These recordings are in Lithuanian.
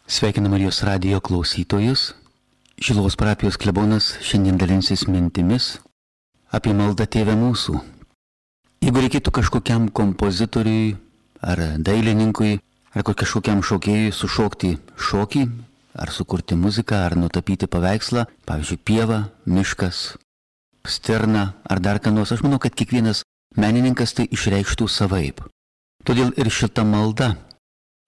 Sveikinu Marijos radijo klausytojus. Šiluvos parapijos klebonas šiandien dalinsis mintimis apie maldą Tėve mūsų. Jeigu reikėtų kažkokiam kompozitoriui ar dailininkui ar kažkokiam šokėjui sušokti šokį, ar sukurti muziką, ar nutapyti paveikslą, pavyzdžiui, pieva, miškas, stirna ar dar ką nors, aš manau, kad kiekvienas menininkas tai išreikštų savaip. Todėl ir šita malda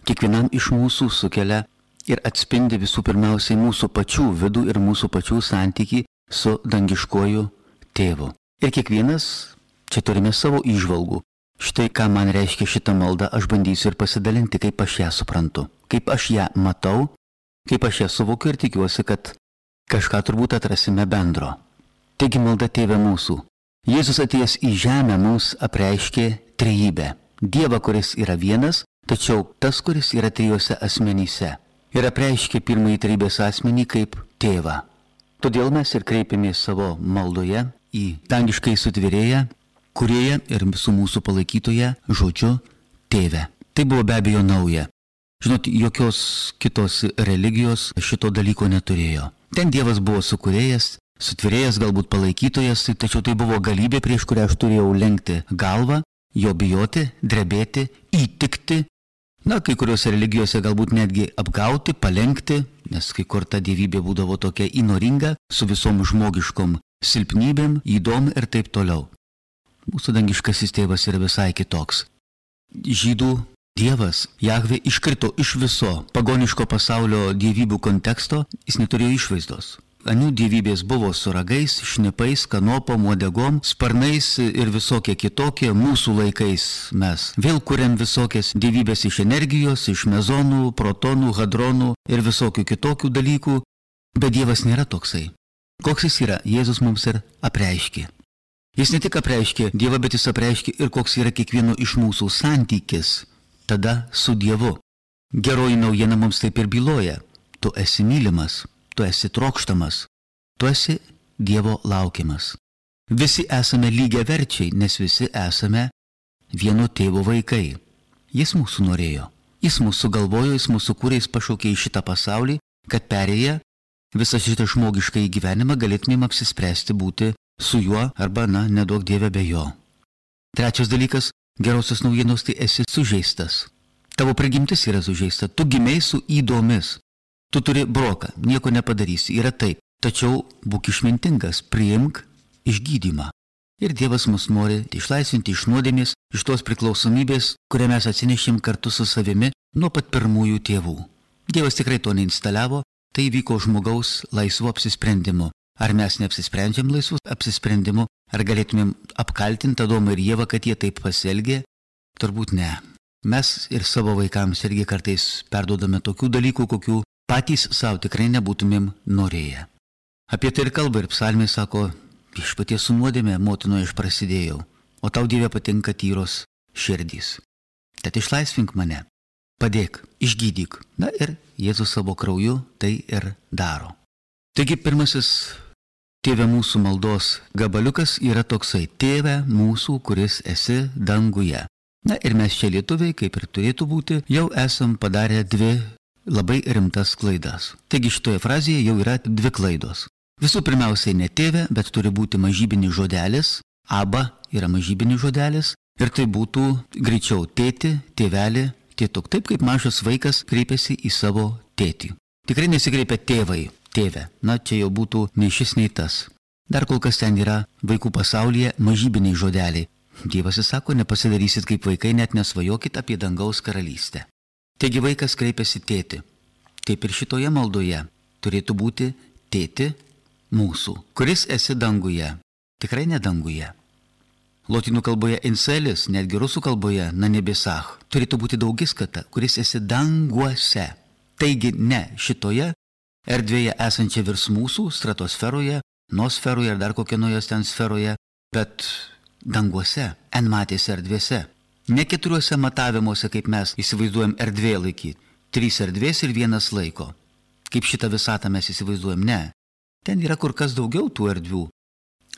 kiekvienam iš mūsų sukelia ir atspindi visų pirmiausiai mūsų pačių vidų ir mūsų pačių santykį su dangiškuoju tėvu. Ir kiekvienas čia turime savo įžvalgų. Štai ką man reiškia šita malda, aš bandysiu ir pasidalinti, kaip aš ją suprantu, kaip aš ją matau, kaip aš ją suvokiu ir tikiuosi, kad kažką turbūt atrasime bendro. Taigi malda Tėve mūsų. Jėzus atėjęs į žemę mums apreiškė trejybę. Dievą, kuris yra vienas, tačiau tas, kuris yra trijose asmenyse. Ir apreiškė pirmąjį trejybės asmenį kaip tėvą. Todėl mes ir kreipėmės savo maldoje į dangiškai sutvėrėją, kurėją ir visų mūsų palaikytoją žodžiu tėve. Tai buvo be abejo nauja. Žinot, jokios kitos religijos šito dalyko neturėjo. Ten Dievas buvo sukūrėjas, sutvėrėjas, galbūt palaikytojas, tačiau tai buvo galybė, prieš kurią aš turėjau lenkti galvą, jo bijoti, drebėti, įtikti. Na, kai kuriuose religijose galbūt netgi apgauti, palenkti, nes kai kur ta dievybė būdavo tokia įnoringa, su visom žmogiškom silpnybėm, ydom ir taip toliau. Mūsų dangiškasis tėvas yra visai kitoks. Žydų Dievas, Jahvė, iškrito iš viso pagoniško pasaulio dievybių konteksto, jis neturėjo išvaizdos. Anių dievybės buvo su ragais, šnipais, kanopom, uodegom, sparnais ir visokie kitokie. Mūsų laikais mes vėl kuriam visokias dievybės iš energijos, iš mezonų, protonų, hadronų ir visokių kitokių dalykų. Bet Dievas nėra toksai. Koks jis yra, Jėzus mums ir apreiškė. Jis ne tik apreiškė Dievą, bet jis apreiškė ir koks yra kiekvieno iš mūsų santykis tada su Dievu. Geroji naujiena mums taip ir byloja. Tu esi mylimas. Tu esi trokštamas, tu esi Dievo laukiamas. Visi esame lygiaverčiai, nes visi esame vieno tėvo vaikai. Jis mūsų norėjo, jis mūsų galvojo, jis mūsų kūrė, jis pašaukė į šitą pasaulį, kad perėję visą šitą žmogišką gyvenimą galėtumėm apsispręsti būti su juo arba, neduok Dieve be jo. Trečias dalykas, gerosios naujienos, tai esi sužeistas. Tavo prigimtis yra sužeista, tu gimei su ydomis. Tu turi broką, nieko nepadarysi, yra taip, tačiau būk išmintingas, priimk išgydymą. Ir Dievas mus nori išlaisvinti iš nuodėmės, iš tos priklausomybės, kurią mes atsinešėm kartu su savimi nuo pat pirmųjų tėvų. Dievas tikrai to neinstaliavo, tai vyko žmogaus laisvu apsisprendimu. Ar mes neapsisprendžiam laisvus apsisprendimu, ar galėtumėm apkaltinti Adomą ir Ievą, kad jie taip pasielgė? Turbūt ne. Mes ir savo vaikams irgi kartais perduodame tokių dalykų, kokių patys savo tikrai nebūtumėm norėję. Apie tai ir kalba ir psalmė sako, viešpaties su nuodėmė motinoje aš prasidėjau, o tau Dieve patinka tyros širdys. Tad išlaisvink mane, padėk, išgydyk. Na ir Jėzus savo krauju tai ir daro. Taigi pirmasis Tėve mūsų maldos gabaliukas yra toksai: Tėve mūsų, kuris esi danguje. Na ir mes čia lietuviai, kaip ir turėtų būti, jau esam padarę dvi labai rimtas klaidas. Taigi šitoje frazėje jau yra dvi klaidos. Visų pirmiausiai ne tėve, bet turi būti mažybinis žodelis. Aba yra mažybinis žodelis. Ir tai būtų greičiau tėti, tėvelį, tėtuk. Taip kaip mažas vaikas kreipiasi į savo tėtį. Tikrai nesikreipia tėvai, tėve. Na, čia jau būtų nei šis, nei tas. Dar kol kas ten yra vaikų pasaulyje mažybiniai žodeliai. Dievas sako, nepasidarysit kaip vaikai, net nesvajokit apie dangaus karalystę. Taigi vaikas kreipiasi tėti. Taip ir šitoje maldoje turėtų būti tėti mūsų, kuris esi danguje. Tikrai ne danguje. Lotynų kalboje inselis, netgi rusų kalboje nanebesach, turėtų būti daugiskata, kuris esi danguose. Taigi ne šitoje erdvėje esančia virs mūsų, stratosferoje, nosferoje ar dar kokioje ten sferoje, bet danguose, enmatėse erdvėse. Ne keturiuose matavimuose, kaip mes įsivaizduojam erdvėlaikį. 3 erdvės ir 1 laiko. Kaip šitą visatą mes įsivaizduojam, ne. Ten yra kur kas daugiau tų erdvių.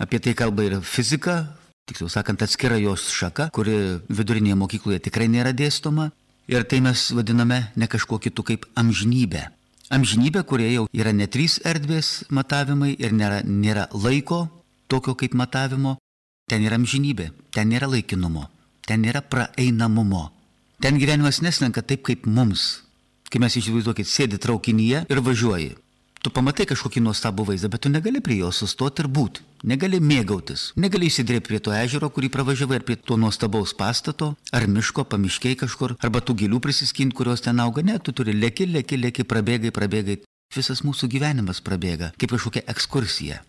Apie tai kalba ir fizika, tiksliau sakant, atskira jos šaka, kuri vidurinėje mokykloje tikrai nėra dėstoma. Ir tai mes vadiname ne kažkuo kitu kaip amžinybė. Amžinybė, kurioje jau yra ne 3 erdvės matavimai ir nėra laiko tokio kaip matavimo. Ten yra amžinybė, ten nėra laikinumo, ten nėra praeinamumo. Ten gyvenimas neslenka taip kaip mums. Kai mes įsivaizduokit, sėdi traukinyje ir važiuoji. Tu pamatai kažkokį nuostabų vaizdą, bet tu negali prie jo sustoti ir būti. Negali mėgautis. Negali įsidrėpti prie to ežero, kurį pravažiavai, ar prie to nuostabaus pastato, ar miško, pamiškiai kažkur, arba tų gėlių prisiskinti, kurios ten auga. Ne, tu turi leki, prabėgai. Visas mūsų gyvenimas prabėga, kaip kažkokia ekskursija.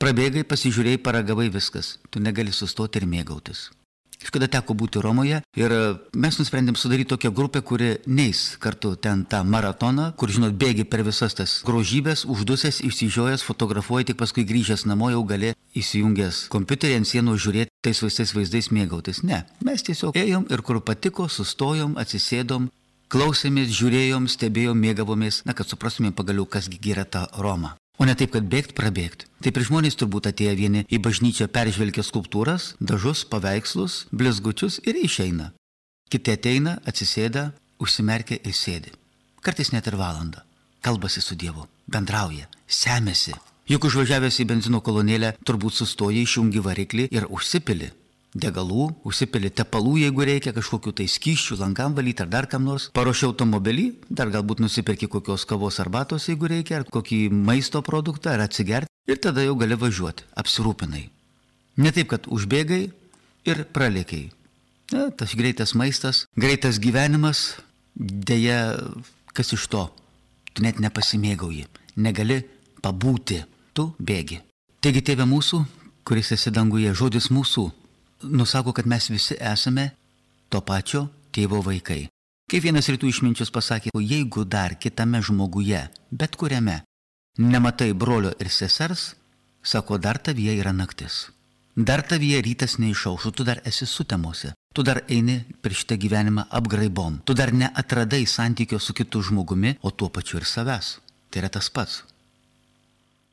Prabėgai, pasižiūrėjai, paragavai viskas. Tu negali sustoti ir mėgautis. Kažkada teko būti Romoje ir mes nusprendėm sudaryti tokią grupę, kuri neis kartu ten tą maratoną, kur, žinot, bėgi per visas tas grožybės, uždusęs, išsižiojęs, fotografuoji, tik paskui grįžęs namo jau gali įsijungęs kompiuterį ant sienų žiūrėti tais vaizdais mėgautis. Ne, mes tiesiog ėjom ir kur patiko, sustojom, atsisėdom, klausėmės, žiūrėjom, stebėjom, mėgavomės, kad suprastumėm pagaliau, kasgi yra ta Roma. O ne taip, kad bėgt. Taip ir žmonės turbūt atėję vieni į bažnyčią peržvelgia skulptūras, dažus, paveikslus, blizgučius ir išeina. Kiti ateina, atsisėda, užsimerkia ir sėdi. Kartais net ir valandą. Kalbasi su Dievu, bendrauja, semėsi. Juk užvažiavęs į benzino kolonėlę turbūt sustoja, išjungi variklį ir užsipili degalų, užsipili tepalų, jeigu reikia, kažkokių tai skysčių, langam valyti ar dar kam nors. Paruoši automobilį, dar galbūt nusiperki kokios kavos arbatos, jeigu reikia, ar kokį maisto produktą, ar atsigerti. Ir tada jau gali važiuoti, apsirūpinai. Ne taip, kad užbėgai ir pralėkiai. Tas greitas maistas, greitas gyvenimas, deja, kas iš to? Tu net nepasimėgauji, negali pabūti, tu bėgi. Taigi, Tėve mūsų, kuris esi danguje, žodis mūsų, nusako, kad mes visi esame to pačio tėvo vaikai. Kaip vienas rytų išminčius pasakė, jeigu dar kitame žmoguje, bet kuriame, nematai brolio ir sesers, sako, dar tavyje yra naktis. Dar tavyje rytas neišaušo, tu dar esi sutemose. Tu dar eini per šitą gyvenimą apgraibom. Tu dar neatradai santykio su kitu žmogumi, o tuo pačiu ir savęs. Tai yra tas pats.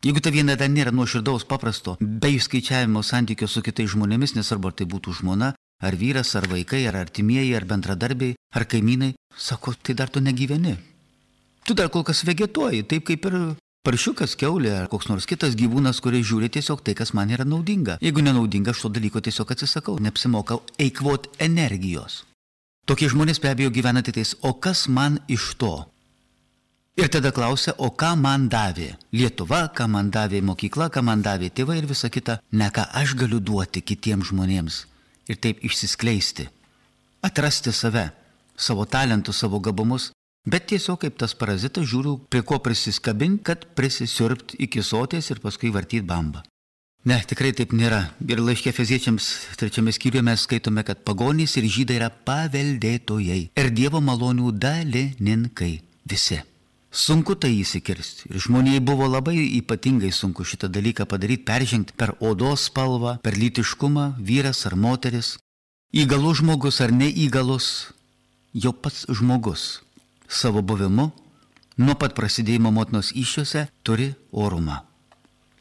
Jeigu ta viena dar nėra nuoširdaus paprasto, be išskaičiavimo santykio su kitais žmonėmis, nesvarbu ar tai būtų žmona, ar vyras, ar vaikai, ar artimieji, ar bendradarbiai, ar kaimynai, sako, tai dar tu negyveni. Tu dar kol kas vegetuoji, taip kaip ir paršiukas, kiaulė, ar koks nors kitas gyvūnas, kuris žiūri tiesiog tai, kas man yra naudinga. Jeigu nenaudinga, aš to dalyko tiesiog atsisakau, neapsimokau eikvot energijos. Tokie žmonės be abejo gyvena tais, o kas man iš to? Ir tada klausia, o ką man davė Lietuva, ką man davė mokykla, ką man davė tėvai ir visa kita, ne ką aš galiu duoti kitiems žmonėms ir taip išsiskleisti, atrasti save, savo talentus, savo gabumus, bet tiesiog kaip tas parazitas žiūriu, prie ko prisiskabinti, kad prisisiurbti iki soties ir paskui vartyti bambą. Ne, tikrai taip nėra. Ir laiške Efeziečiams 3 skyriuje mes skaitome, kad pagonys ir žydai yra paveldėtojai ir Dievo malonių dalininkai visi. Sunku tai įsikirsti. Ir žmonijai buvo labai ypatingai sunku šitą dalyką padaryti, peržengti per odos spalvą, per lytiškumą, vyras ar moteris. Įgalus žmogus ar neįgalus, jau pats žmogus savo buvimu, nuo pat prasidėjimo motinos įsčiose, turi orumą.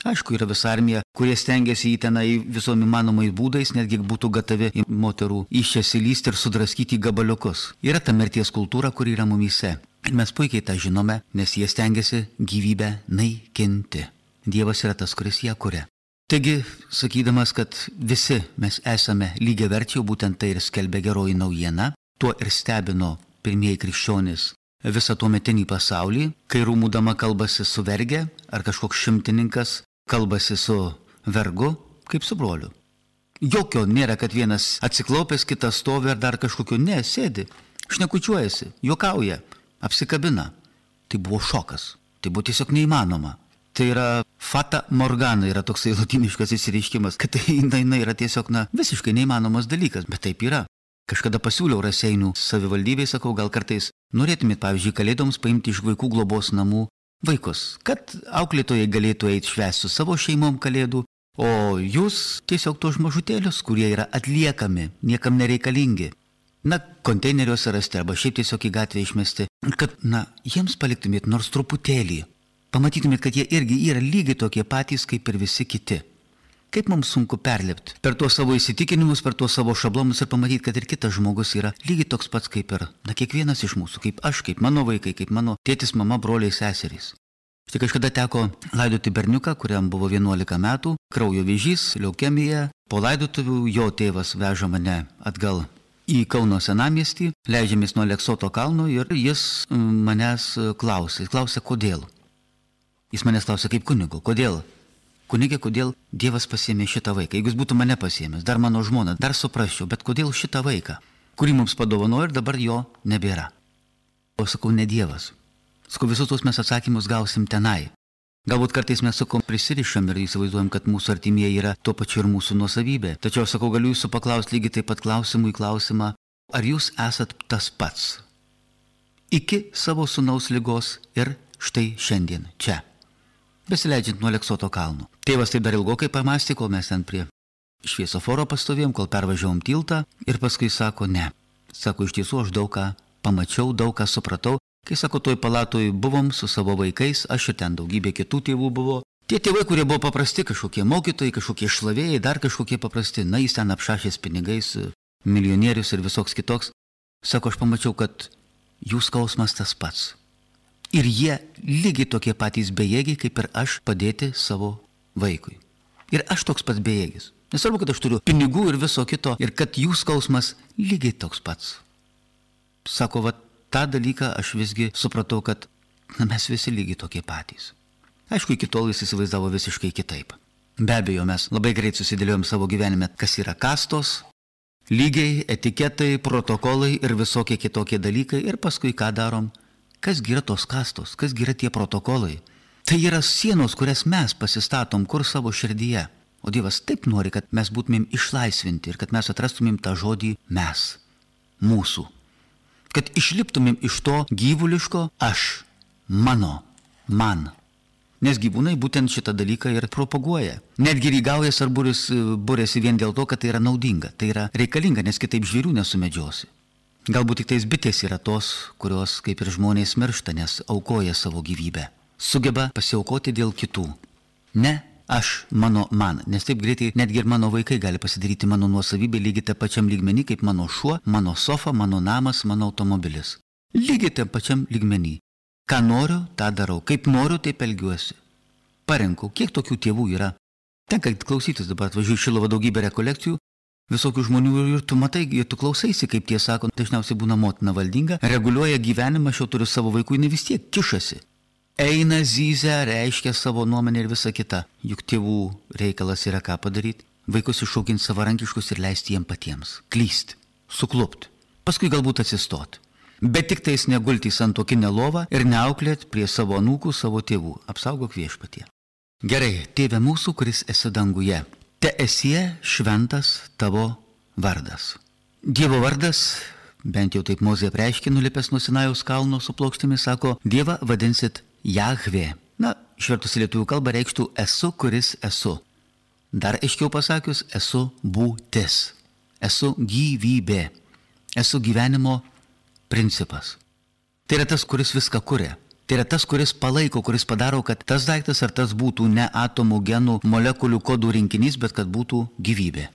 Aišku, yra visa armija, kurie stengiasi į tenai visom įmanomais būdais, netgi būtų gatavi į moterų įsčias įlysti ir sudraskyti į gabaliukus. Yra ta mirties kultūra, kuri yra mumyse. Ir mes puikiai tą žinome, nes jie stengiasi gyvybę naikinti. Dievas yra tas, kuris ją kuria. Taigi, sakydamas, kad visi mes esame lygiaverčiai, būtent tai ir skelbia geroji naujiena, tuo ir stebino pirmieji krikščionys visą tuometinį pasaulį, kai rūmų dama kalbasi su verge, ar kažkoks šimtininkas kalbasi su vergu, kaip su broliu. Jokio nėra, kad vienas atsiklaupęs, kitas stovi ar dar kažkokiu, ne, sėdi, šnekučiuojasi, juokauja. Apsikabina. Tai buvo šokas. Tai buvo tiesiog neįmanoma. Tai yra fata morgana, yra toksai lotyniškas įsireiškimas, kad tai yra tiesiog, visiškai neįmanomas dalykas, bet taip yra. Kažkada pasiūliau Raseinių savivaldybei, sakau, gal kartais norėtumėt, pavyzdžiui, kalėdoms paimti iš vaikų globos namų vaikus, kad auklėtojai galėtų eiti švęsti su savo šeimom kalėdų, o jūs tiesiog tos mažutėlius, kurie yra atliekami, niekam nereikalingi. Konteineriuose rasti arba šiaip tiesiog į gatvę išmesti, kad, jiems paliktumėt nors truputėlį. Pamatytumėt, kad jie irgi yra lygiai tokie patys, kaip ir visi kiti. Kaip mums sunku perlipti per tuos savo įsitikinimus, per tuos savo šablonus ir pamatyti, kad ir kitas žmogus yra lygiai toks pats kaip ir, kiekvienas iš mūsų, kaip aš, kaip mano vaikai, kaip mano tėtis, mama, broliai, seserys. Štai kažkada teko laidoti berniuką, kuriam buvo 11 metų, kraujo vėžys, leukemija. Po laidotuvių jo tėvas veža mane atgal į Kauno senamiestį, leidžiamės nuo Aleksoto kalno ir jis manęs klausė, kodėl. Jis manęs klausė kaip kunigo, kodėl? Kunigė, kodėl Dievas pasiėmė šitą vaiką? Jeigu jis būtų mane pasiėmęs, dar mano žmoną, dar suprasčiau, bet kodėl šitą vaiką, kurį mums padovanojo ir dabar jo nebėra? O sakau, ne Dievas. Sakau, visus tos mes atsakymus gausim tenai. Galbūt kartais mes sakau, prisirišam ir įsivaizduojam, kad mūsų artimieji yra tuo pačiu ir mūsų nuosavybė. Tačiau sakau, galiu jūsų paklausti lygiai taip pat klausimų į klausimą, ar jūs esat tas pats? Iki savo sūnaus ligos ir štai šiandien čia. Besileidžiant nuo Aleksoto kalno. Tėvas taip dar ilgokai pamastė, kol mes ten prie šviesoforo pastovėjom, kol pervažiavom tiltą ir paskui sako, ne. Sako, iš tiesų aš daug ką pamačiau, daug ką supratau. Kai sako, toj palatoj buvom su savo vaikais, aš ir ten daugybė kitų tėvų buvo. Tie tėvai, kurie buvo paprasti, kažkokie mokytojai, kažkokie šlavėjai, dar kažkokie paprasti, na jis ten apšašęs pinigais, milijonierius ir visoks kitoks. Sako, aš pamačiau, kad jų skausmas tas pats. Ir jie lygiai tokie patys bejėgiai, kaip ir aš padėti savo vaikui. Ir aš toks pats bejėgis. Nesvarbu, kad aš turiu pinigų ir viso kito, ir kad jų skausmas lygiai toks pats. Sako, va, tą dalyką aš visgi supratau, kad mes visi lygiai tokie patys. Aišku, iki tol jis įsivaizdavo visiškai kitaip. Be abejo, mes labai greit susidėliojom savo gyvenime, kas yra kastos, lygiai, etiketai, protokolai ir visokie kitokie dalykai. Ir paskui ką darom? Kas yra tos kastos, kas yra tie protokolai? Tai yra sienos, kurias mes pasistatom kur savo širdyje. O Dievas taip nori, kad mes būtumėm išlaisvinti ir kad mes atrastumėm tą žodį mes, mūsų. Kad išliptumėm iš to gyvuliško aš, mano, man. Nes gyvūnai būtent šitą dalyką ir propaguoja. Netgi rygaujas ar būrėsi vien dėl to, kad tai yra naudinga, tai yra reikalinga, nes kitaip žvėrių nesumedžiosi. Galbūt tik tais bitės yra tos, kurios kaip ir žmonės miršta, nes aukoja savo gyvybę. Sugeba pasiaukoti dėl kitų. Ne aš, mano, man. Nes taip greitai netgi ir mano vaikai gali pasidaryti mano nuosavybę lygiai tą pačiam lygmenį kaip mano šuo, mano sofa, mano namas, mano automobilis. Lygiai tą pačiam lygmenį. Ką noriu, tą darau. Kaip noriu, taip elgiuosi. Parenku, kiek tokių tėvų yra. Tenka klausytis dabar, atvažiuoju Šiluvą daugybę rekolekcijų. Visokių žmonių ir tu matai, ir tu klausaisi, kaip tie sako, dažniausiai būna motina valdinga, reguliuoja gyvenimą, aš jau turiu savo vaikų, jinai vis tiek kišasi. Eina, zyzia, reiškia savo nuomonę ir visa kita. Juk tėvų reikalas yra ką padaryti, vaikus išauginti savarankiškus ir leisti jiem patiems. Klysti, suklupti, paskui galbūt atsistoti. Bet tik tais negulti į santuokinę lovą ir neauklėt prie savo anūkų, savo tėvų. Apsaugok viešpatie. Gerai, tėve mūsų, kuris esi danguje. Te esie šventas tavo vardas. Dievo vardas, bent jau taip Mozė apreiškė, nulipęs nuo Sinajaus kalno su plokštėmis, sako, Dievą vadinsit Jahvė. Na, išvertus į lietuvių kalbą reikštų esu, kuris esu. Dar aiškiau pasakius, esu būtis. Esu gyvybė. Esu gyvenimo principas. Tai yra tas, kuris viską kuria. Tai yra tas, kuris palaiko, kuris padaro, kad tas daiktas ar tas būtų ne atomų, genų, molekulių, kodų rinkinys, bet kad būtų gyvybė.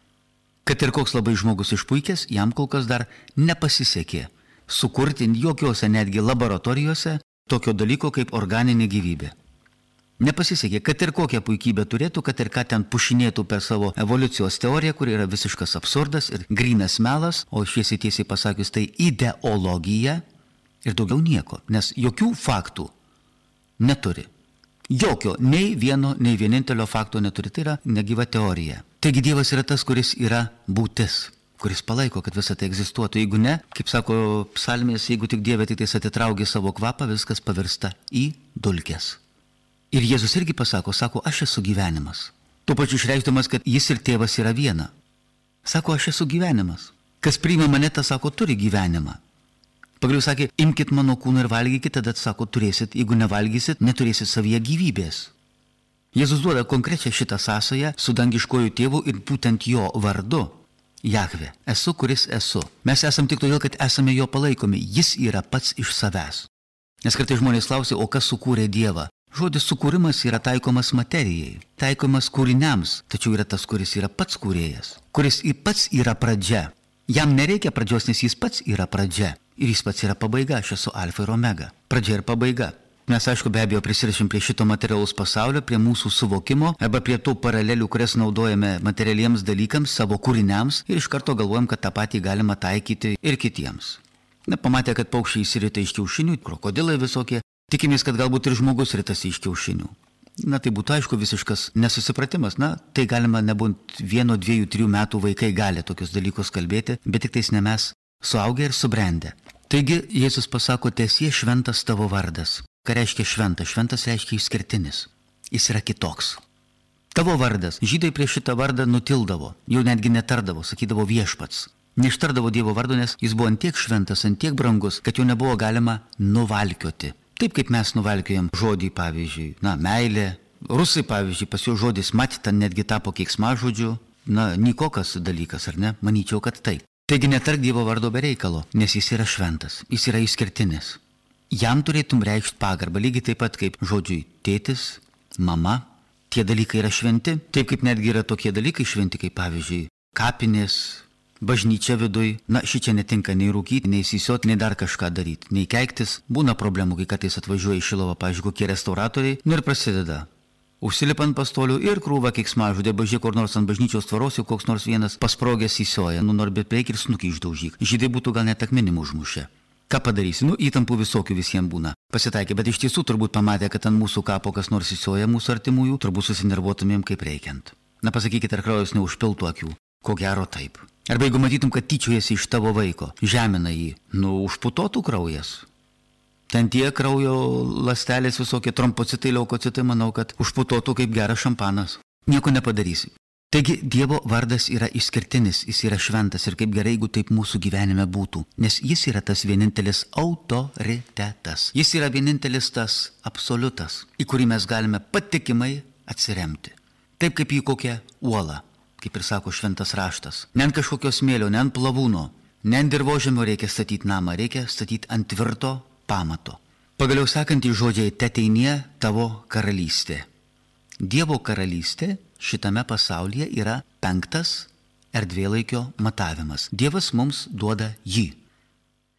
Kad ir koks labai žmogus išpuikęs, jam kol kas dar nepasisekė sukurti jokiose netgi laboratorijose tokio dalyko kaip organinė gyvybė. Nepasisekė, kad ir kokią puikybę turėtų, kad ir ką ten pušinėtų per savo evoliucijos teoriją, kuri yra visiškas absurdas ir grynas melas, o šviesiai tiesiai pasakius tai ideologija. Ir daugiau nieko, nes jokių faktų neturi. Jokio, nei vieno, nei vienintelio fakto neturi. Tai yra negyva teorija. Taigi Dievas yra tas, kuris yra būtis, kuris palaiko, kad visa tai egzistuotų. Jeigu ne, kaip sako psalmės, jeigu tik Dieve tik tais atitraukia savo kvapą, viskas pavirsta į dulkes. Ir Jėzus irgi pasako, sako, aš esu gyvenimas. Tuo pačiu išreikšdamas, kad jis ir tėvas yra viena. Sako, aš esu gyvenimas. Kas priima mane, tas sako, turi gyvenimą. Pagaliau sakė, imkit mano kūną ir valgykit, tada sako, turėsit, jeigu nevalgysit, neturėsit savyje gyvybės. Jėzus duoda konkrečią šitą sąsają su dangiškoju tėvu ir būtent jo vardu. Jahvė, esu, kuris esu. Mes esam tik todėl, kad esame jo palaikomi. Jis yra pats iš savęs. Nes kartais žmonės klausia, o kas sukūrė Dievą? Žodis sukūrimas yra taikomas materijai, taikomas kūriniams, tačiau yra tas, kuris yra pats kūrėjas, kuris ir pats yra pradžia. Jam nereikia pradžios, nes jis pats yra pradžia ir jis pats yra pabaiga, aš esu alfa ir omega, pradžia ir pabaiga. Mes, aišku, be abejo prisirišim prie šito materialaus pasaulio, prie mūsų suvokimo arba prie tų paralelių, kurias naudojame materialiems dalykams, savo kūriniams ir iš karto galvojam, kad tą patį galima taikyti ir kitiems. Na, pamatė, kad paukščiai išsirita iš kiaušinių, krokodilai visokie, tikimės, kad galbūt ir žmogus ritasi iš kiaušinių. Na, tai būtų, aišku, visiškas nesusipratimas. Na, tai galima nebūti 1, 2, 3 metų vaikai gali tokius dalykus kalbėti, bet tik tais ne mes suaugę ir subrendę. Taigi, Jėzus pasako, tiesie šventas tavo vardas. Ką reiškia šventas? Šventas reiškia išskirtinis. Jis yra kitoks. Tavo vardas. Žydai prieš šitą vardą nutildavo, jau netgi netardavo, sakydavo viešpats. Neištardavo Dievo vardo, nes jis buvo antiek šventas, antiek brangus, kad jo nebuvo galima nuvalkioti. Taip kaip mes nuvalkiojam žodį, pavyzdžiui, meilė. Rusai, pavyzdžiui, pas jų žodis mat, ten netgi tapo keiksmažodžiu. Nikokas dalykas, ar ne? Manyčiau, kad taip. Taigi netark Dievo vardo be reikalo, nes jis yra šventas, jis yra išskirtinis. Jam turėtum reikšti pagarbą, lygiai taip pat kaip žodžiui tėtis, mama. Tie dalykai yra šventi, taip kaip netgi yra tokie dalykai šventi, kaip pavyzdžiui kapinės, bažnyčia viduj. Šičia netinka nei rūkyti, nei sisioti, nei dar kažką daryti, nei keiktis. Būna problemų, kai kartais atvažiuoja į Šiluvą, pavyzdžiui, kokie restauratoriai, ir prasideda. Užsilipa ant pastolių ir krūva keiksmažodė, bažė kur nors ant bažnyčios tvaros, jau koks nors vienas pasprogęs įsioja, nori bet prieik ir snukį išdaužyk. Žydai būtų gal net akmenimų užmušę. Ką padarysi? Įtampų visokių visiems būna. Pasitaikė, bet iš tiesų turbūt pamatė, kad ant mūsų kapo kas nors įsioja mūsų artimųjų, turbūt susinervuotumėm kaip reikiant. Pasakykit, ar kraujas neužpiltų akių? Ko gero taip. Arba jeigu matytum, kad tyčiojasi iš tavo vaiko, žemina jį, užputotų kraujas. Ten tie kraujo ląstelės visokie trombocitai, leukocitai, manau, kad užputotų kaip geras šampanas. Nieko nepadarysi. Taigi Dievo vardas yra išskirtinis, jis yra šventas ir kaip gerai, jeigu taip mūsų gyvenime būtų. Nes jis yra tas vienintelis autoritetas. Jis yra vienintelis tas absoliutas, į kurį mes galime patikimai atsiremti. Taip kaip į kokią uolą, kaip ir sako šventas raštas. Ne ant kažkokio smėlio, ne ant plavūno, ne ant dirvožemio reikia statyti namą, reikia statyti ant tvirto pamato. Pagaliau sakantys žodžiai, teteinie tavo karalystė. Dievo karalystė šitame pasaulyje yra 5 erdvėlaikio matavimas. Dievas mums duoda jį.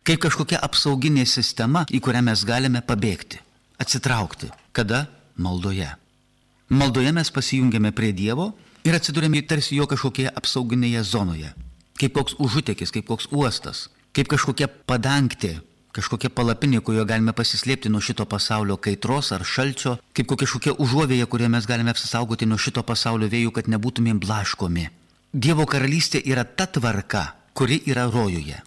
Kaip kažkokia apsauginė sistema, į kurią mes galime pabėgti, atsitraukti. Kada? Maldoje. Maldoje mes pasijungiame prie Dievo ir atsidurėme tarsi jo kažkokioje apsauginėje zonoje. Kaip koks užutekis, kaip koks uostas, kaip kažkokia padangtė, kažkokia palapinė, kurioje galime pasislėpti nuo šito pasaulio kaitros ar šalčio, kaip kažkokia užuovėja, kurioje mes galime apsisaugoti nuo šito pasaulio vėjų, kad nebūtumėm blaškomi. Dievo karalystė yra ta tvarka, kuri yra rojuje.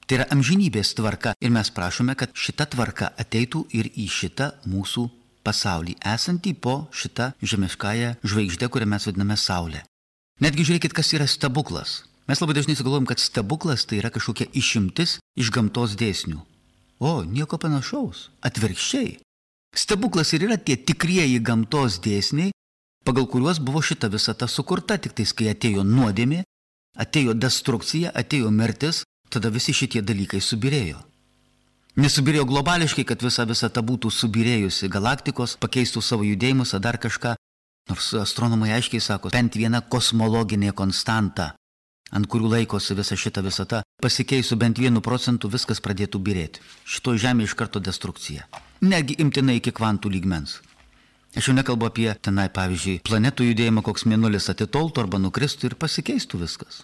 Tai yra amžinybės tvarka ir mes prašome, kad šita tvarka ateitų ir į šitą mūsų pasaulį, esantį po šitą žemiškąją žvaigždę, kurią mes vadiname Saulė. Netgi žiūrėkit, kas yra stebuklas. Mes labai dažnai sugalvojam, kad stebuklas tai yra kažkokia išimtis iš gamtos dėsnių. O, nieko panašaus. Atvirkščiai. Stebuklas ir yra tie tikrieji gamtos dėsniai, pagal kuriuos buvo šita visata sukurta, tik tais, kai atėjo nuodėmė, atėjo destrukcija, atėjo mirtis, tada visi šitie dalykai subirėjo. Nesubirėjo globališkai, kad visa visata būtų subirėjusi, galaktikos pakeistų savo judėjimus ar dar kažką, nors astronomai aiškiai sako, bent viena kosmologinė konstanta, ant kurių laikosi visa šita visata, pasikeisų bent 1% viskas pradėtų birėti. Šito žemė iš karto destrukcija. Negi imtinai iki kvantų lygmens. Aš jau nekalbu apie tenai, pavyzdžiui, planetų judėjimą, koks mėnulis atitoltų arba nukristų ir pasikeistų viskas.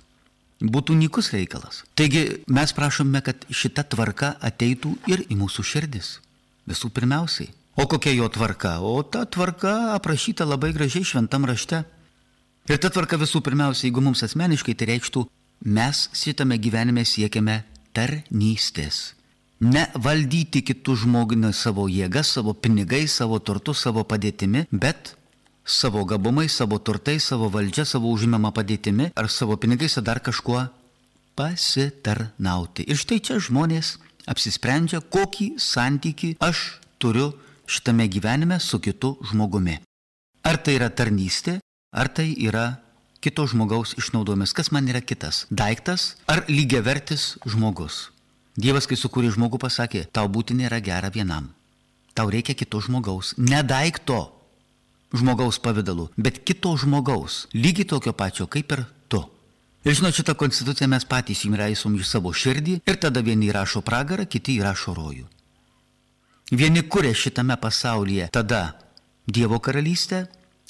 Būtų nykus reikalas. Taigi mes prašome, kad šita tvarka ateitų ir į mūsų širdis. Visų pirmiausiai. O kokia jo tvarka? O ta tvarka aprašyta labai gražiai šventam rašte. Ir ta tvarka visų pirmiausia, jeigu mums asmeniškai tai reikštų, mes šitame gyvenime siekiame tarnystės. Ne valdyti kitų žmogų savo jėgas, savo pinigais, savo turtu, savo padėtimi, bet savo gabumais, savo turtais, savo valdžia, savo užimama padėtimi ar savo pinigais ar dar kažkuo pasitarnauti. Ir štai čia žmonės apsisprendžia, kokį santykį aš turiu šitame gyvenime su kitu žmogumi. Ar tai yra tarnystė? Ar tai yra kito žmogaus išnaudojimas? Kas man yra kitas? Daiktas ar lygiavertis žmogus? Dievas, kai sukūrė žmogų, pasakė, tau būti nėra gera vienam. Tau reikia kito žmogaus, ne daikto žmogaus pavidalu, bet kito žmogaus, lygiai tokio pačio kaip ir tu. Ir žinot, šitą konstituciją mes patys įraisom į savo širdį ir tada vieni įrašo pragarą, kiti įrašo rojų. Vieni kuria šitame pasaulyje tada Dievo karalystę,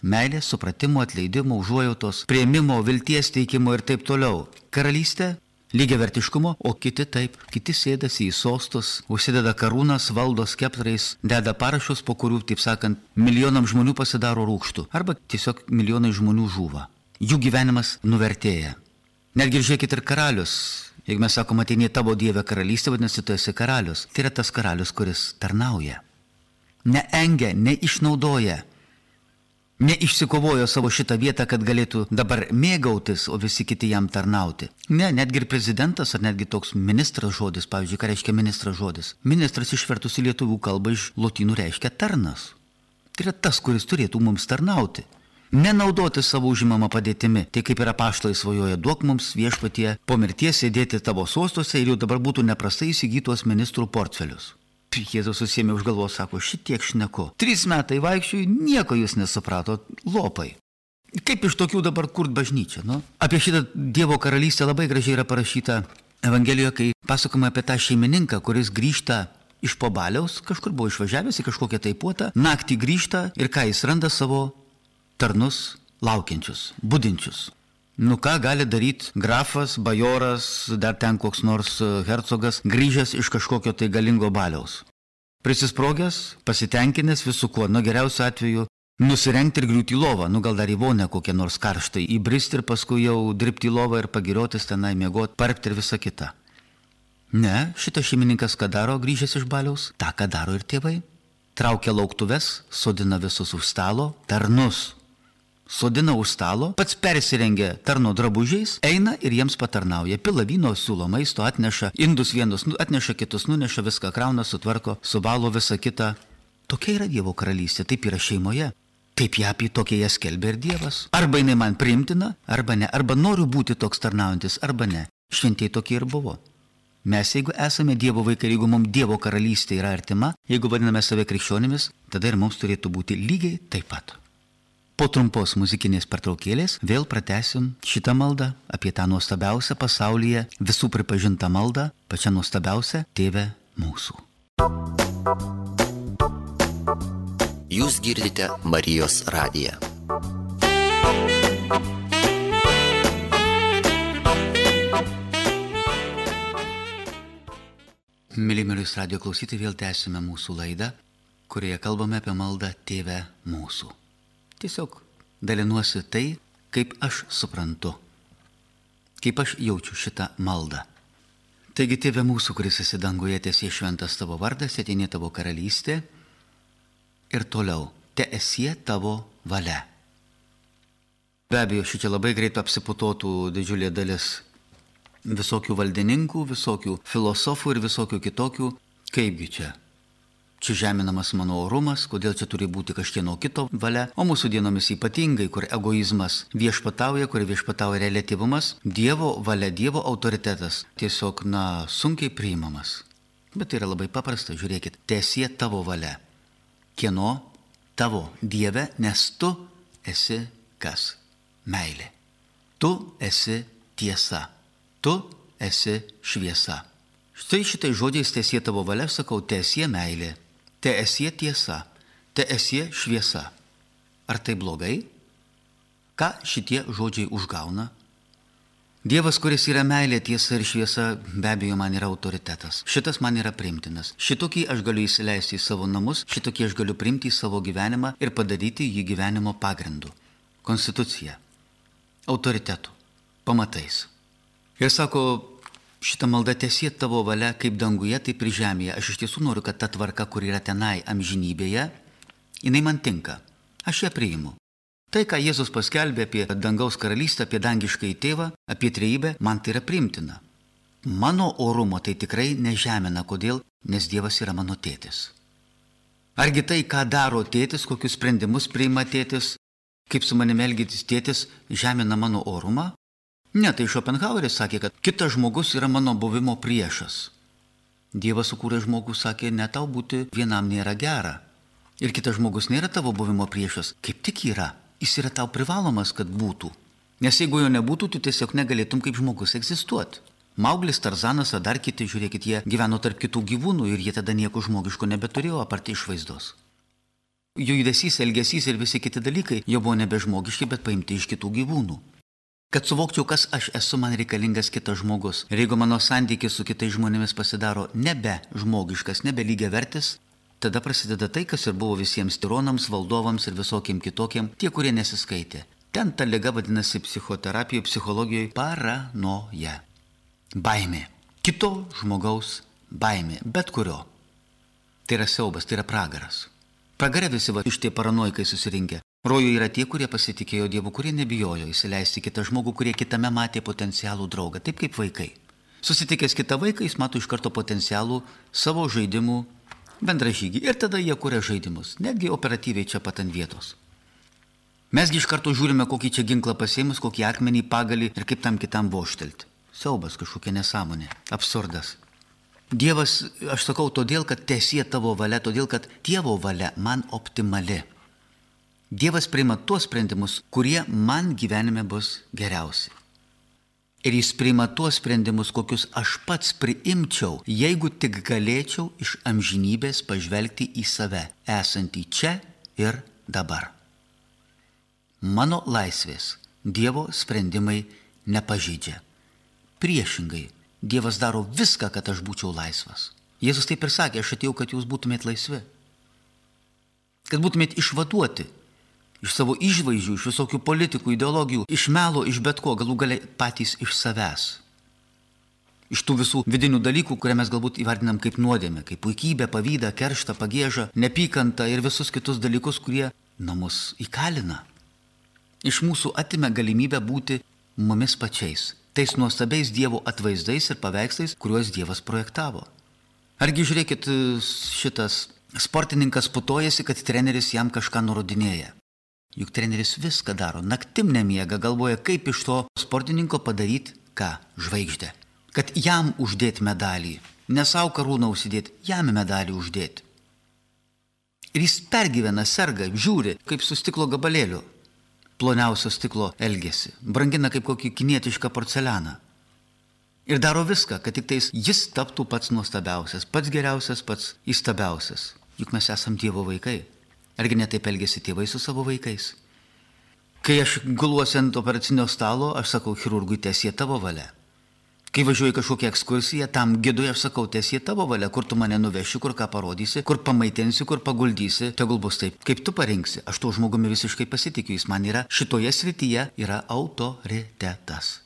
meilės, supratimo, atleidimo, užuojautos, priėmimo, vilties teikimo ir taip toliau. Karalystė, lygiavertiškumo, o kiti taip, kiti sėdasi į sostus, užsideda karūnas, valdo skeptrais, deda parašus, po kurių, taip sakant, milijonam žmonių pasidaro rūgštų, arba tiesiog milijonai žmonių žūva. Jų gyvenimas nuvertėja. Netgi žiūrėkit ir karalius. Jeigu mes sakom, ateini tavo Dieve karalystė, vadinasi, tu esi karalius. Tai yra tas karalius, kuris tarnauja. Neengia, neišnaudoja, neišsikovojo savo šitą vietą, kad galėtų dabar mėgautis, o visi kiti jam tarnauti. Ne, netgi ir prezidentas, ar netgi toks ministras žodis, pavyzdžiui, ką reiškia ministras žodis. Ministras išvertus į lietuvių kalbą iš lotynų reiškia tarnas. Tai yra tas, kuris turėtų mums tarnauti. Nenaudoti savo užimamą padėtimi. Tai kaip yra apaštalai svajoja, duok mums viešpatie po mirties sėdėti tavo sostuose ir jau dabar būtų neprastai įsigytos ministrų portfelius. Jėzus susėmė už galvos, sako, šitiek šneku. 3 metai vaikščiui, nieko jūs nesuprato, lopai. Kaip iš tokių dabar kurt bažnyčią, nu? Apie šitą Dievo karalystę labai gražiai yra parašyta Evangelijoje, kai pasakoma apie tą šeimininką, kuris grįžta iš po baliaus, kažkur buvo išvažiavęs į kažkokią tai puotą, naktį grįžta ir ką jis randa savo tarnus laukiančius, budinčius. Nu ką gali daryti grafas, bajoras, dar ten koks nors hercogas, grįžęs iš kažkokio tai galingo baliaus. Prisisprogęs, pasitenkinęs visų kuo, nu geriausiu atveju, nusirengti ir griūti į lovą, nu gal dar į vonę kokią nors karštai, įbristi ir paskui jau dirbti į lovą ir pagiriotis tenai, miegoti, parpti ir visa kita. Ne, šitas šeimininkas ką daro grįžęs iš baliaus? Ta, ką daro ir tėvai. Traukia lauktuves, sodina visus už stalo, tarnus. Sodina už stalo, pats persirengia tarno drabužiais, eina ir jiems patarnauja. Pila vyno, siūlo maisto, atneša indus vienus, atneša kitus, nuneša viską, krauna, sutvarko, subalo visą kitą. Tokia yra Dievo karalystė, taip yra šeimoje. Taip ją apie tokia ją skelbia ir Dievas. Arba jinai man priimtina, arba ne. Arba noriu būti toks tarnaujantis, arba ne. Šventieji tokie ir buvo. Mes, jeigu esame Dievo vaikai, jeigu mums Dievo karalystė yra artima, jeigu vadiname save krikščionimis, tada ir mums turėtų būti lygiai taip pat. Po trumpos muzikinės pertraukėlės vėl pratęsim šitą maldą apie tą nuostabiausią pasaulyje visų pripažintą maldą, pačią nuostabiausią Tėve mūsų. Jūs girdite Marijos radiją. Mėly Marijos radijo klausytojai, vėl tęsime mūsų laidą, kurioje kalbame apie maldą Tėve mūsų. Tiesiog dalinuosi tai, kaip aš suprantu, kaip aš jaučiu šitą maldą. Taigi, Tėve mūsų, kuris esi danguje, teesie šventas tavo vardas, ateini tavo karalystė ir toliau, teesie tavo valia. Be abejo, šičia labai greit apsiputotų didžiulė dalis visokių valdininkų, visokių filosofų ir visokių kitokių, kaipgi čia. Čia žeminamas mano orumas, kodėl čia turi būti kažkieno kito valia, o mūsų dienomis ypatingai, kur egoizmas viešpatauja, kur viešpatauja reliatyvumas, Dievo valia, Dievo autoritetas tiesiog, sunkiai priimamas. Bet tai yra labai paprasta, žiūrėkit, teesie tavo valia. Kieno? Tavo, Dieve, nes tu esi kas? Meilė. Tu esi tiesa. Tu esi šviesa. Štai šitai žodžiais teesie tavo valia, sakau, teesie meilė. Teesie tiesa, teesie šviesa. Ar tai blogai? Ką šitie žodžiai užgauna? Dievas, kuris yra meilė, tiesa ir šviesa, be abejo man yra autoritetas. Šitas man yra priimtinas. Šitokį aš galiu įsileisti į savo namus, šitokį aš galiu priimti į savo gyvenimą ir padaryti jį gyvenimo pagrindu. Konstitucija, autoritetų, pamatais. Ir sako, šitą maldą teesie tavo valia kaip danguje, taip ir žemėje. Aš iš tiesų noriu, kad ta tvarka, kur yra tenai amžinybėje, jinai man tinka. Aš ją priimu. Tai, ką Jėzus paskelbė apie dangaus karalystę, apie dangiškąjį tėvą, apie trejybę, man tai yra priimtina. Mano orumo tai tikrai nežemina. Kodėl? Nes Dievas yra mano tėtis. Argi tai, ką daro tėtis, kokius sprendimus priima tėtis, kaip su manimi elgėtis tėtis, žemina mano orumą? Ne, tai Schopenhaueris sakė, kad kitas žmogus yra mano buvimo priešas. Dievas sukūrė žmogų, sakė, ne tau būti vienam nėra gera. Ir kitas žmogus nėra tavo buvimo priešas, kaip tik yra. Jis yra tau privalomas, kad būtų. Nes jeigu jo nebūtų, tu tiesiog negalėtum kaip žmogus egzistuoti. Mauglis, Tarzanas ar dar kiti, žiūrėkit, jie gyveno tarp kitų gyvūnų ir jie tada nieko žmogiško nebeturėjo apart išvaizdos. Jų judesys, elgesys ir visi kiti dalykai jau buvo nebežmogiški, bet paimti iš kitų gyvūnų. Kad suvokčiau, kas aš esu, man reikalingas kitas žmogus. Ir jeigu mano santykis su kitais žmonėmis pasidaro nebe žmogiškas, nebe lygiavertis, tada prasideda tai, kas ir buvo visiems tironams, valdovams ir visokiem kitokiem, tie, kurie nesiskaitė. Ten ta liga vadinasi psichoterapijoje, psichologijoje paranoja. Baimė. Kito žmogaus baimė. Bet kurio. Tai yra siaubas, tai yra pragaras. Pragare visi iš tie paranoikai susirinkę. Rojuje yra tie, kurie pasitikėjo Dievu, kurie nebijojo įsileisti kitą žmogų, kurie kitame matė potencialų draugą, taip kaip vaikai. Susitikęs kitą vaiką, jis mato iš karto potencialų savo žaidimų bendražygį. Ir tada jie kuria žaidimus, netgi operatyviai čia pat ant vietos. Mesgi iš karto žiūrime, kokį čia ginklą pasėmus, kokį akmenį, pagalį ir kaip tam kitam voštelti. Siaubas, kažkokia nesąmonė, absurdas. Dievas, aš sakau, todėl, kad teesie tavo valia, todėl, kad Dievo valia man optimali. Dievas priima tuos sprendimus, kurie man gyvenime bus geriausi. Ir jis priima tuos sprendimus, kokius aš pats priimčiau, jeigu tik galėčiau iš amžinybės pažvelgti į save, esantį čia ir dabar. Mano laisvės Dievo sprendimai nepažeidžia. Priešingai, Dievas daro viską, kad aš būčiau laisvas. Jėzus taip ir sakė, aš atėjau, kad jūs būtumėt laisvi. Kad būtumėt išvaduoti iš savo išvaizdžių, iš visokių politikų, ideologijų, iš melo, iš bet ko, galų gale patys iš savęs. Iš tų visų vidinių dalykų, kurie mes galbūt įvardinam kaip nuodėmę, kaip puikybę, pavydą, kerštą, pagiežą, nepykantą ir visus kitus dalykus, kurie mus įkalina. Iš mūsų atima galimybę būti mumis pačiais, tais nuostabiais Dievo atvaizdais ir paveikslais, kuriuos Dievas projektavo. Argi žiūrėkit, šitas sportininkas putojasi, kad treneris jam kažką nurodinėja. Juk treneris viską daro, naktim nemiega, galvoja, kaip iš to sportininko padaryti, ką, žvaigždę. Kad jam uždėti medalį, ne savo karūną užsidėti, jam medalį uždėti. Ir jis pergyvena, serga, žiūri, kaip su stiklo gabalėliu, ploniausio stiklo elgesi, brangina kaip kokį kinietišką porcelianą. Ir daro viską, kad tik tais jis taptų pats nuostabiausias, pats geriausias, pats įstabiausias. Juk mes esam Dievo vaikai. Argi netaip elgesi tėvai su savo vaikais? Kai aš guluosi ant operacinio stalo, aš sakau chirurgui, teesie tavo valia. Kai važiuoju kažkokią ekskursiją, tam gidui aš sakau, teesie tavo valia, kur tu mane nuveši, kur ką parodysi, kur pamaitinsi, kur paguldysi, tegul bus taip, kaip tu parinksi. Aš tuo žmogumi visiškai pasitikiu, jis man yra šitoje srityje yra autoritetas.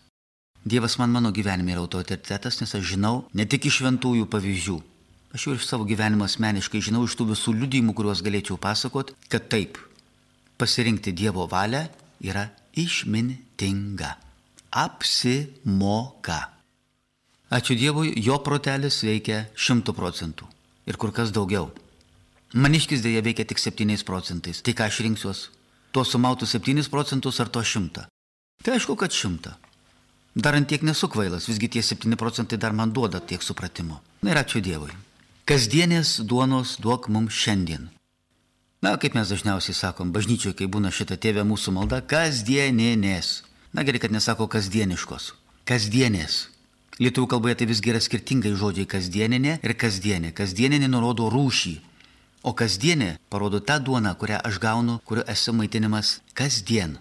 Dievas man mano gyvenime yra autoritetas, nes aš žinau ne tik iš šventųjų pavyzdžių. Aš jau iš savo gyvenimo asmeniškai žinau iš tų visų liudijimų, kuriuos galėčiau pasakoti, kad taip, pasirinkti Dievo valią yra išmintinga. Apsimoka. Ačiū Dievui, jo protelis veikia 100% ir kur kas daugiau. Maniškis dėja veikia tik 7%. Tai ką aš rinksiuos? Tuo sumautų 7% ar to 100? Tai aišku, kad 100. Dar ant tiek nesu kvailas, visgi tie 7% dar man duoda tiek supratimo. Na ir ačiū Dievui. Kasdienės duonos duok mums šiandien. Na, kaip mes dažniausiai sakom, bažnyčioje, kai būna šita Tėve mūsų malda, kasdieninės. Na gerai, kad nesako kasdieniškos. Kasdienės. Lietuvių kalboje tai visgi yra skirtingai žodžiai kasdieninė ir kasdienė. Kasdieninė nurodo rūšį, o kasdienė parodo tą duoną, kurią aš gaunu, kurio esu maitinimas kasdien.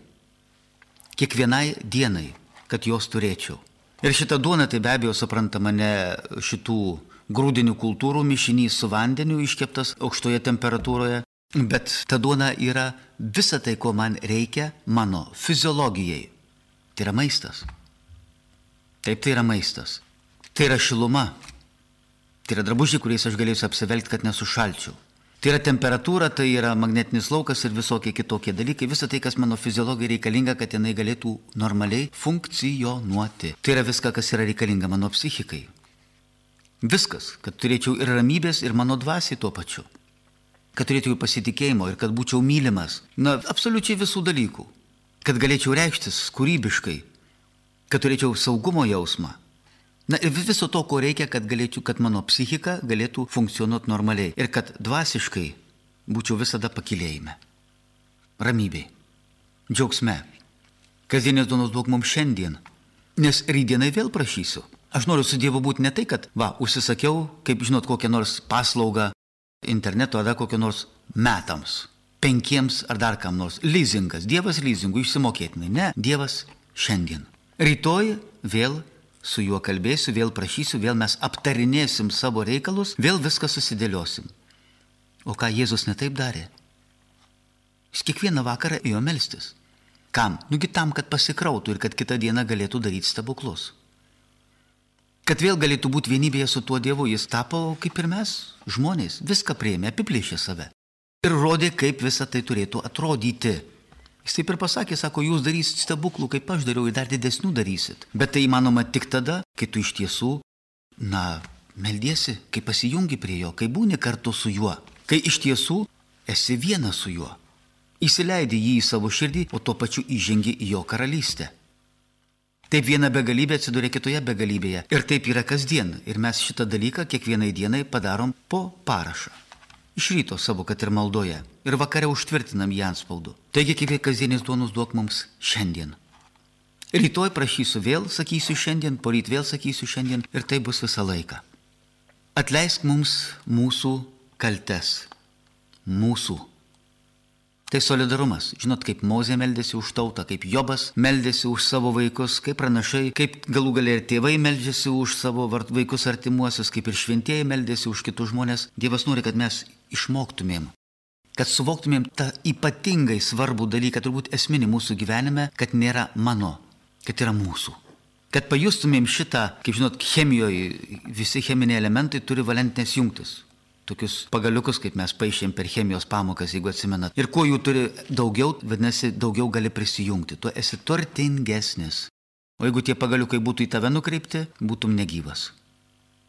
Kiekvienai dienai, kad jos turėčiau. Ir šita duona tai be abejo suprantama ne šitų grūdinių kultūrų mišinys su vandeniu iškeptas aukštoje temperatūroje, bet ta duona yra visa tai, ko man reikia mano fiziologijai. Tai yra maistas. Taip, tai yra maistas. Tai yra šiluma. Tai yra drabužiai, kuriais aš galėsiu apsivelgti, kad nesušalčiau. Tai yra temperatūra, tai yra magnetinis laukas ir visokie kitokie dalykai. Visa tai, kas mano fiziologijai reikalinga, kad jinai galėtų normaliai funkcionuoti. Tai yra viską, kas yra reikalinga mano psichikai. Viskas, kad turėčiau ir ramybės, ir mano dvasiai tuo pačiu. Kad turėčiau pasitikėjimo ir kad būčiau mylimas. Na, absoliučiai visų dalykų. Kad galėčiau reikštis kūrybiškai. Kad turėčiau saugumo jausmą. Na ir viso to, ko reikia, kad mano psichika galėtų funkcionuoti normaliai ir kad dvasiškai būčiau visada pakilėjime, ramybėj, džiaugsme. Kasdienės duonos duok mums šiandien, nes rytdienai vėl prašysiu. Aš noriu su Dievu būti ne tai, kad, užsisakiau, kaip žinot, kokią nors paslaugą interneto ar kokią nors metams, 5 ar dar kam nors. Leasingas, Dievas leasingų išsimokėtinai. Ne, Dievas šiandien. Rytoj vėl su juo kalbėsiu, vėl prašysiu, vėl mes aptarinėsim savo reikalus, vėl viską susidėliosim. O ką Jėzus netaip darė? Jis kiekvieną vakarą ėjo melstis. Kam? Nugi tam, kad pasikrautų ir kad kitą dieną galėtų daryti stebuklus. Kad vėl galėtų būti vienybėje su tuo Dievu, jis tapo kaip ir mes, žmonės, viską priėmė, apiplėšė save. Ir rodė, kaip visa tai turėtų atrodyti. Jis taip ir pasakė, sako, jūs darysit stebuklų, kaip aš dariau, ir dar didesnių darysit. Bet tai įmanoma tik tada, kai tu iš tiesų, meldiesi, kai pasijungi prie jo, kai būni kartu su juo, kai iš tiesų esi vienas su juo. Įsileidi jį į savo širdį, o tuo pačiu įžengi į jo karalystę. Taip viena begalybė atsiduria kitoje begalybėje. Ir taip yra kasdien. Ir mes šitą dalyką kiekvienai dienai padarom po parašą. Iš ryto savo, kad ir maldoje. Ir vakare užtvirtinam jį antspaudu. Taigi, kaip kasdienės duonos duok mums šiandien. Rytoj prašysiu vėl, sakysiu šiandien, poryt vėl sakysiu šiandien. Ir tai bus visą laiką. Atleisk mums mūsų kaltes. Mūsų. Tai solidarumas. Žinot, kaip Mozė meldėsi už tautą, kaip Jobas meldėsi už savo vaikus, kaip pranašai, kaip galų galia ir tėvai meldžiasi už savo vaikus artimuosius, kaip ir šventieji meldėsi už kitus žmonės. Dievas nori, kad mes išmoktumėm, kad suvoktumėm tą ypatingai svarbų dalyką, turbūt esminį mūsų gyvenime, kad nėra mano, kad yra mūsų. Kad pajustumėm šitą, kaip žinot, chemijoje visi cheminiai elementai turi valentinės jungtis. Tokius pagaliukus, kaip mes paišėm per chemijos pamokas, jeigu atsimenat. Ir kuo jų turi daugiau, vadinasi, daugiau gali prisijungti. Tu esi turtingesnis. O jeigu tie pagaliukai būtų į tave nukreipti, būtum negyvas.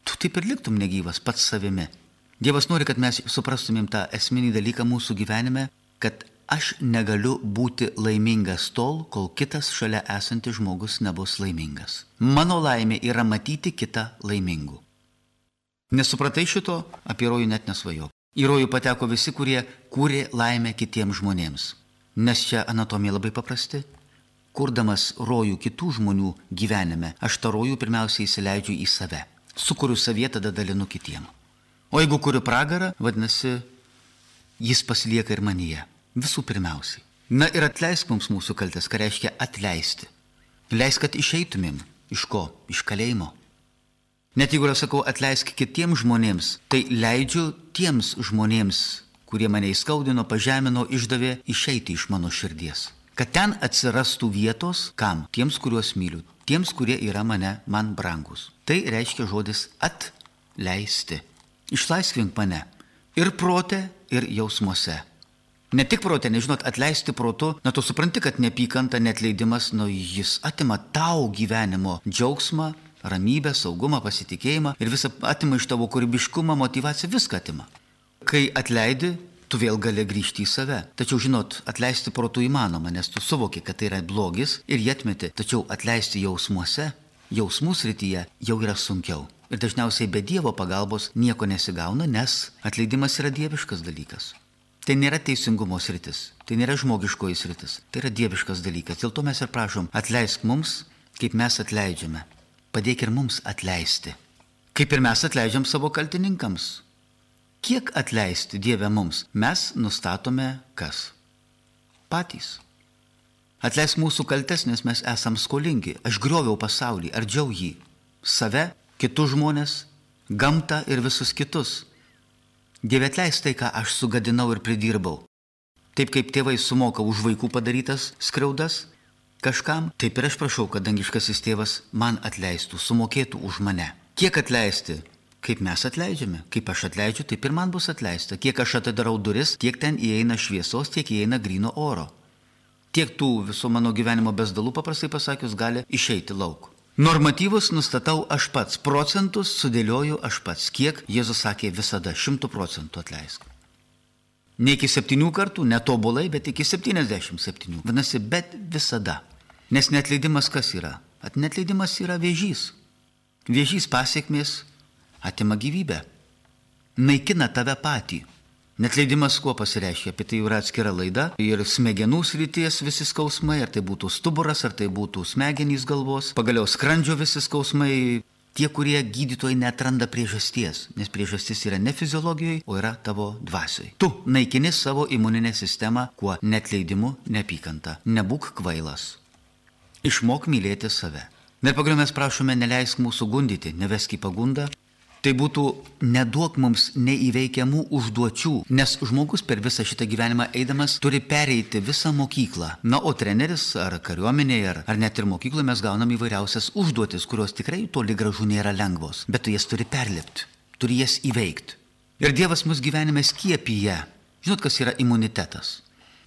Tu taip ir liktum negyvas pats savimi. Dievas nori, kad mes suprastumėm tą esminį dalyką mūsų gyvenime, kad aš negaliu būti laimingas tol, kol kitas šalia esantis žmogus nebus laimingas. Mano laimė yra matyti kitą laimingu. Nesupratai šito, apie rojų net nesvajok. Į rojų pateko visi, kurie kūrė laimę kitiems žmonėms. Nes čia anatomija labai paprasti. Kurdamas rojų kitų žmonių gyvenime, aš tą rojų pirmiausiai įsileidžiu į save. Sukuriu savyje, tada dalinu kitiem. O jeigu kuriu pragarą, vadinasi, jis pasilieka ir manyje. Visų pirmiausiai. Na ir atleisk mums mūsų kaltes, ką reiškia atleisti. Leisk, kad išeitumėm. Iš ko? Iš kalėjimo. Net jeigu aš sakau atleisk kitiems žmonėms, tai leidžiu tiems žmonėms, kurie mane įskaudino, pažemino, išdavė, išeiti iš mano širdies. Kad ten atsirastų vietos, kam? Tiems, kuriuos myliu. Tiems, kurie yra man brangus. Tai reiškia žodis atleisti. Išlaisvink mane ir prote, ir jausmuose. Ne tik prote, nežinot, atleisti protu, tu supranti, kad neapykanta, neatleidimas, jis atima tau gyvenimo džiaugsmą, ramybę, saugumą, pasitikėjimą ir visą atima iš tavo kūrybiškumą, motyvaciją, viską atima. Kai atleidi, tu vėl gali grįžti į save. Tačiau, žinot, atleisti protu įmanoma, nes tu suvoki, kad tai yra blogis ir jį atmeti. Tačiau atleisti jausmuose, jausmų srityje jau yra sunkiau. Ir dažniausiai be Dievo pagalbos nieko nesigauna, nes atleidimas yra dieviškas dalykas. Tai nėra teisingumo sritis, tai nėra žmogiškoji sritis, tai yra dieviškas dalykas. Dėl to mes ir prašom, atleisk mums, kaip mes atleidžiame. Padėk ir mums atleisti. Kaip ir mes atleidžiam savo kaltininkams. Kiek atleisti Dieve mums? Mes nustatome kas? Patys. Atleisk mūsų kaltes, nes mes esam skolingi. Aš grioviau pasaulį, ardžiau jį. Save, kitus žmonės, gamtą ir visus kitus. Dieve atleisk tai, ką aš sugadinau ir pridirbau. Taip kaip tėvai sumoka už vaikų padarytas skriaudas, kažkam, taip ir aš prašau, kad dangiškasis tėvas man atleistų, sumokėtų už mane. Kiek atleisti? Kaip mes atleidžiame? Kaip aš atleidžiu, taip ir man bus atleista. Kiek aš atidarau duris, tiek ten įeina šviesos, tiek įeina gryno oro. Tiek tų viso mano gyvenimo bezdalų, paprastai pasakius, gali išeiti lauk. Normatyvus nustatau aš pats, procentus sudėlioju aš pats. Kiek Jėzus sakė visada 100% atleisk. Ne iki 7 kartų, netobulai, bet iki 77. Vadinasi, bet visada. Nes neatleidimas kas yra? Neatleidimas yra vėžys. Vėžys pasekmės atima gyvybę, naikina tave patį. Netleidimas kuo pasireiškia, apie tai yra atskira laida. Ir smegenų srities visi skausmai, ar tai būtų stuburas, ar tai būtų smegenys galvos, pagaliau skrandžio visi skausmai. Tie, kurie gydytojai neatranda priežasties, nes priežastis yra ne fiziologijoje, o yra tavo dvasioj. Tu naikini savo imuninę sistemą, kuo netleidimu, neapykanta. Nebūk kvailas. Išmok mylėti save. Ir pagaliau mes prašome, neleisk mūsų gundyti, nevesk į pagundą. Tai būtų neduok mums neįveikiamų užduočių, nes žmogus per visą šitą gyvenimą eidamas turi pereiti visą mokyklą. Na, o treneris ar kariuomenėje, ar net ir mokykloje mes gaunam įvairiausias užduotis, kurios tikrai toli gražu nėra lengvos, bet tu jas turi perlipti, turi jas įveikti. Ir Dievas mus gyvenime skiepyje. Žinot, kas yra imunitetas?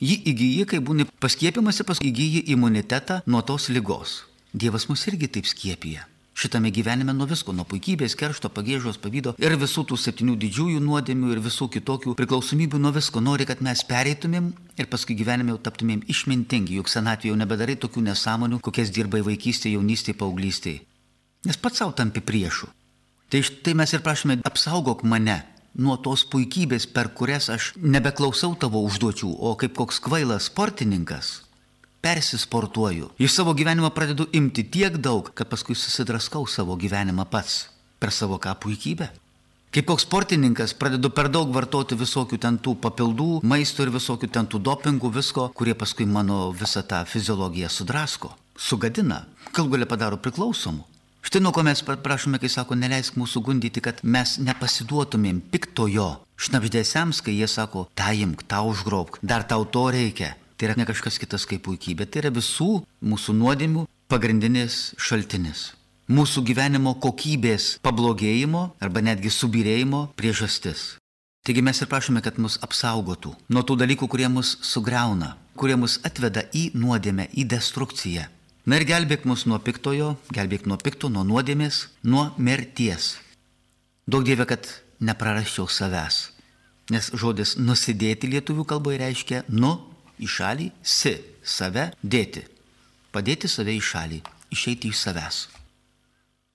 Jį įgyji, kai būni paskiepimasi, paskui įgyji imunitetą nuo tos ligos. Dievas mus irgi taip skiepyje. Šitame gyvenime nuo visko, nuo puikybės, keršto, pagiežos, pavydo ir visų tų 7 didžiųjų nuodėmių ir visų kitokių priklausomybių nuo visko. Nori, kad mes pereitumėm ir paskui gyvenime jau taptumėm išmintingi, juk senatvėje jau nebedarai tokių nesąmonių, kokias dirbai vaikystėje, jaunystėje, paauglystėje. Nes pats savo tampi priešu. Tai štai mes ir prašome, apsaugok mane nuo tos puikybės, per kurias aš nebeklausau tavo užduočių, o kaip koks kvailas sportininkas persisportuoju. Iš savo gyvenimo pradedu imti tiek daug, kad paskui susidraskau savo gyvenimą pats per savo ką puikybę. Kaip koks sportininkas pradedu per daug vartoti visokių ten tų papildų, maisto ir visokių ten tų dopingų, visko, kurie paskui mano visą tą fiziologiją sudrasko, sugadina, galų gale padaro priklausomų. Štai nuo ko mes prašome, kai sako, neleisk mūsų gundyti, kad mes nepasiduotumėm piktojo šnabždėsiams, kai jie sako, tą imk, tą užgrobk, dar tau to reikia. Tai yra ne kažkas kitas kaip puikybė, tai yra visų mūsų nuodėmių pagrindinis šaltinis. Mūsų gyvenimo kokybės pablogėjimo arba netgi subyrėjimo priežastis. Taigi mes ir prašome, kad mus apsaugotų nuo tų dalykų, kurie mus sugriauna, kurie mus atveda į nuodėmę, į destrukciją. Na ir gelbėk mus nuo piktojo, gelbėk nuo pikto, nuo nuodėmės, nuo mirties. Duok Dieve, kad neprarasčiau savęs, nes žodis nusidėti lietuvių kalboje reiškia į šalį, save dėti. Padėti save į šalį, išeiti iš savęs.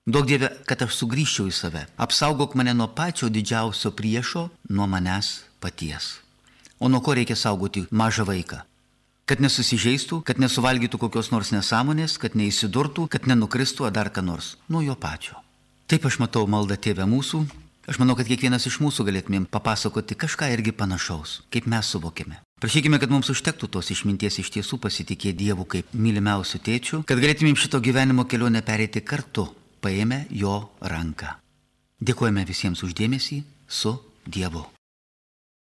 Duok Dieve, kad aš sugrįžčiau į save. Apsaugok mane nuo pačio didžiausio priešo, nuo manęs paties. O nuo ko reikia saugoti mažą vaiką? Kad nesusižeistų, kad nesuvalgytų kokios nors nesąmonės, kad neįsidurtų, kad nenukristų ar dar ką nors. Nuo jo pačio. Taip aš matau maldą Tėve mūsų. Aš manau, kad kiekvienas iš mūsų galėtumėm papasakoti kažką irgi panašaus, kaip mes suvokime. Prašykime, kad mums užtektų tos išminties iš tiesų pasitikėti Dievu kaip mylimiausiu tėčiu, kad galėtumėm šito gyvenimo kelionę pereiti kartu, paėmę jo ranką. Dėkojame visiems už dėmesį, su Dievu.